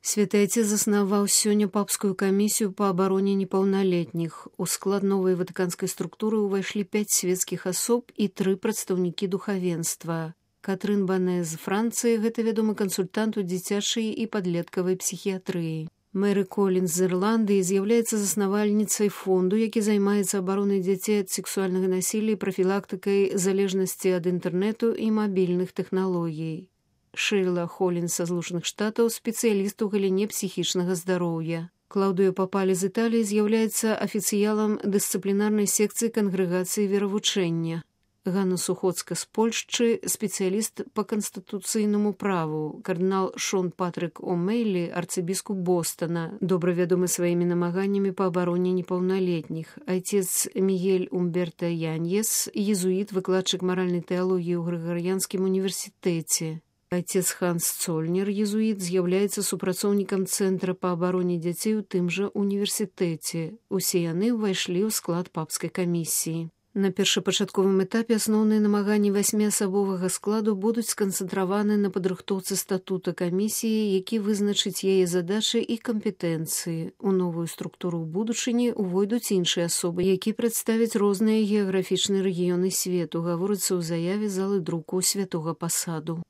Святы Отец заснаваў сёння папскую камісію па абароне непаўналетніх. У склад новай ватыканскай структуры ўвайшлі 5 светскіх асоб і 3 прадстаўнікі духавенства. Катрын Бане з Францыі, гэта вядомы кансультант у дзіцячай і падлеткавай псіхіятрыі. Мэри Коллінс з Ірландыі з'яўляецца заснавальніцай фонду, які займаецца абаронай дзяцей ад сексуальнага насілля і прафілактыкай залежнасці ад інтэрнэту і мабільных тэхналогій. Шейла Холлінс са Злучаных Штатаў, спецыяліст у галіне псіхічнага здароўя. Клаўдыё Папалі з Італіі з'яўляецца афіцыялам дысцыплінарнай секцыі кангрэгацыі веравучэння. Ганна Сухоцка з Польшчы, спецыяліст па канстытуцыйнаму праву. Кардынал Шон Патрык О'Мейлі, арцыбіскуп Бостона, добра вядомы сваімі намаганнямі па абароне непаўналетніх. Айцец Мігель Умберта Яньес, езуіт, выкладчык маральнай тэалогіі ў Грыгарыянскім універсітэце. Айцец Ханс Цольнер, езуіт, з'яўляецца супрацоўнікам Цэнтра па абароне дзяцей у тым жа універсітэце. Усе яны ўвайшлі ў склад папскай камісіі. На першапачатковым этапе асноўныя намаганні 8-асабовага складу будуць сканцэнтраваны на падрыхтоўцы статута камісіі, які вызначыць яе задачы і кампетэнцыі. У новую структуру ў будучыні увойдуць іншыя асобы, якія прадставяць розныя геаграфічныя рэгіёны свету, гаворыцца ў заяве залы друку Святога Пасаду.